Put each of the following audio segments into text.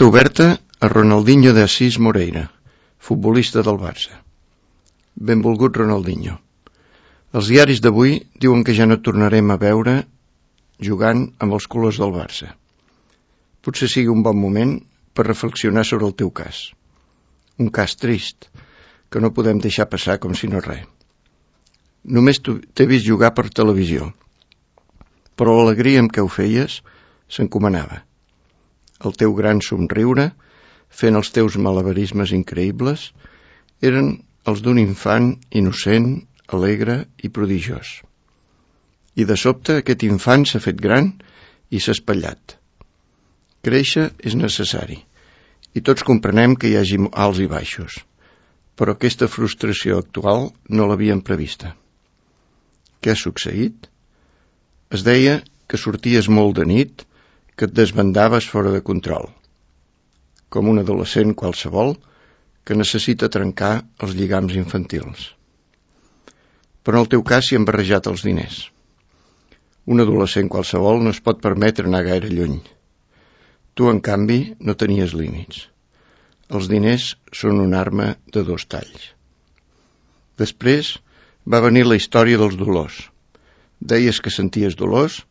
Carta oberta a Ronaldinho de Assis Moreira, futbolista del Barça. Benvolgut Ronaldinho. Els diaris d'avui diuen que ja no tornarem a veure jugant amb els colors del Barça. Potser sigui un bon moment per reflexionar sobre el teu cas. Un cas trist, que no podem deixar passar com si no res. Només t'he vist jugar per televisió, però l'alegria amb què ho feies s'encomanava. El teu gran somriure, fent els teus malabarismes increïbles, eren els d'un infant innocent, alegre i prodigiós. I de sobte aquest infant s'ha fet gran i s'ha espatllat. Créixer és necessari, i tots comprenem que hi hagi alts i baixos, però aquesta frustració actual no l'havíem prevista. Què ha succeït? Es deia que sorties molt de nit, que et desbandaves fora de control, com un adolescent qualsevol que necessita trencar els lligams infantils. Però en el teu cas s'hi han barrejat els diners. Un adolescent qualsevol no es pot permetre anar gaire lluny. Tu, en canvi, no tenies límits. Els diners són una arma de dos talls. Després va venir la història dels dolors. Deies que senties dolors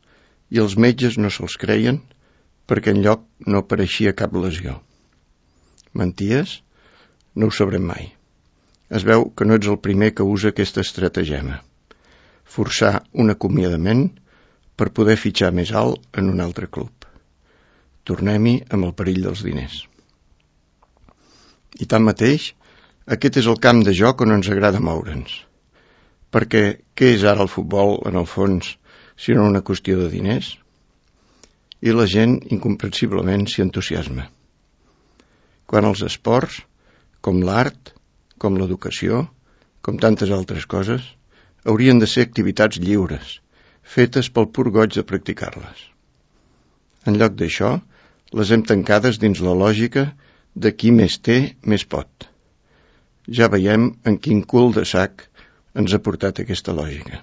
i els metges no se'ls creien perquè enlloc no apareixia cap lesió. Menties? No ho sabrem mai. Es veu que no ets el primer que usa aquesta estratagema. Forçar un acomiadament per poder fitxar més alt en un altre club. Tornem-hi amb el perill dels diners. I tanmateix, aquest és el camp de joc on ens agrada moure'ns. Perquè què és ara el futbol, en el fons, sinó una qüestió de diners? I la gent, incomprensiblement, s'hi entusiasma. Quan els esports, com l'art, com l'educació, com tantes altres coses, haurien de ser activitats lliures, fetes pel pur goig de practicar-les. En lloc d'això, les hem tancades dins la lògica de qui més té, més pot. Ja veiem en quin cul de sac ens ha portat aquesta lògica.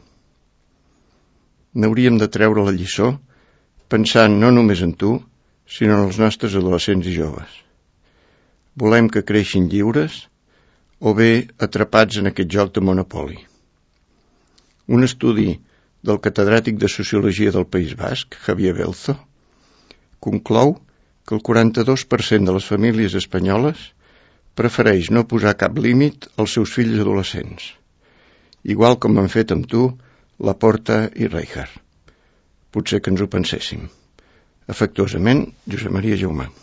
N'hauríem de treure la lliçó pensant no només en tu, sinó en els nostres adolescents i joves. Volem que creixin lliures o bé atrapats en aquest joc de monopoli. Un estudi del catedràtic de Sociologia del País Basc, Javier Belzo, conclou que el 42% de les famílies espanyoles prefereix no posar cap límit als seus fills adolescents, igual com han fet amb tu Laporta i Rijkaard. Potser que ens ho penséssim. Afectuosament, Josep Maria Jaumà.